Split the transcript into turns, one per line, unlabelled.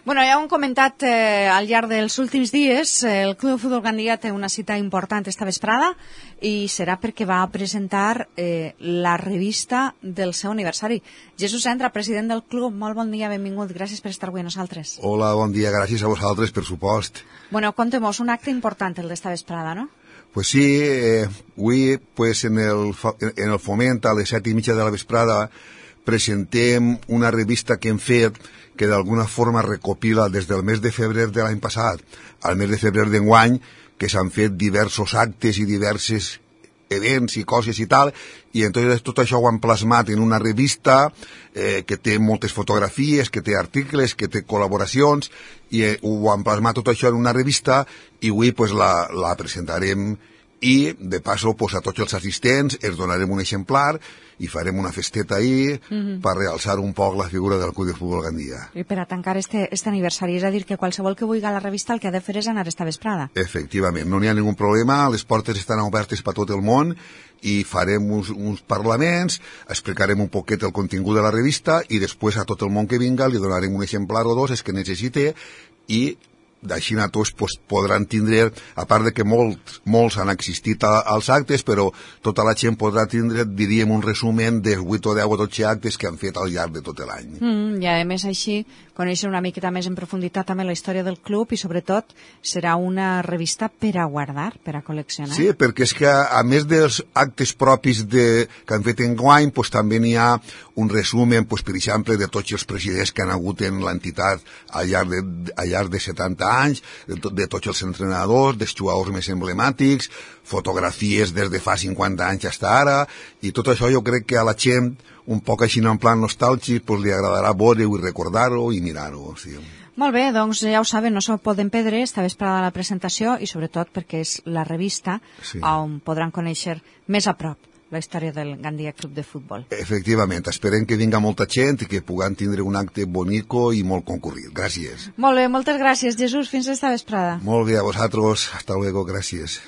Bueno, ja ho hem comentat al llarg dels últims dies, el Club de Futbol Gandia té una cita important esta vesprada i serà perquè va presentar la revista del seu aniversari. Jesús Entra, president del club, molt bon dia, benvingut, gràcies per estar avui a nosaltres.
Hola, bon dia, gràcies a vosaltres, per supost.
Bueno, contem-nos, un acte important el d'esta vesprada, no?
Pues sí, avui pues en el Foment a les 7:30 de la vesprada presentem una revista que hem fet que d'alguna forma recopila des del mes de febrer de l'any passat al mes de febrer d'enguany, que s'han fet diversos actes i diversos events i coses i tal, i entonces tot això ho han plasmat en una revista que té moltes fotografies, que té articles, que té col·laboracions, i ho han plasmat tot això en una revista, i avui pues, la presentarem, i de passo pues, a tots els assistents els donarem un exemplar i farem una festeta ahir per realçar un poc la figura del Club de Futbol Gandia.
I per a tancar este aniversari, és a dir, que qualsevol que vulgui a la revista el que ha de fer és anar esta vesprada.
Efectivament, no n'hi ha ningú problema, les portes estan obertes per tot el món i farem uns parlaments, explicarem un poquet el contingut de la revista i després a tot el món que vinga li donarem un exemplar o dos, els que necessite, i d'així a tots pues, podran tindre, a part de que molts han existit als actes, però tota la gent podrà tindre, diríem, un resumen dels 8 o 10 o 12 actes que han fet al llarg de tot l'any.
I a més així, conèixer una miqueta més en profunditat també la història del club i sobretot serà una revista per a guardar, per a col·leccionar.
Sí, perquè és que a més dels actes propis que han fet enguany, pues, també n'hi ha un resumen, pues, per exemple, de tots els presidents que han hagut en l'entitat al llarg de 70 anys, de tots els entrenadors, dels jugadors més emblemàtics, fotografies des de fa 50 anys fins ara, i tot això jo crec que a la gent, un poc així en plan nostàlgic, pues, li agradarà veure-ho i recordar-ho i mirar-ho. Sí.
Molt bé, doncs ja ho saben, no s'ho poden perdre esta vesprada la presentació i sobretot perquè és la revista on podran conèixer més a prop la història del Gandia Club de Futbol.
Efectivament, esperem que vinga molta gent i que puguem tindre un acte bonico i molt concurrit. Gràcies.
Molt bé, moltes gràcies, Jesús. Fins esta vesprada.
Molt bé, a vosaltres. Hasta luego, gràcies.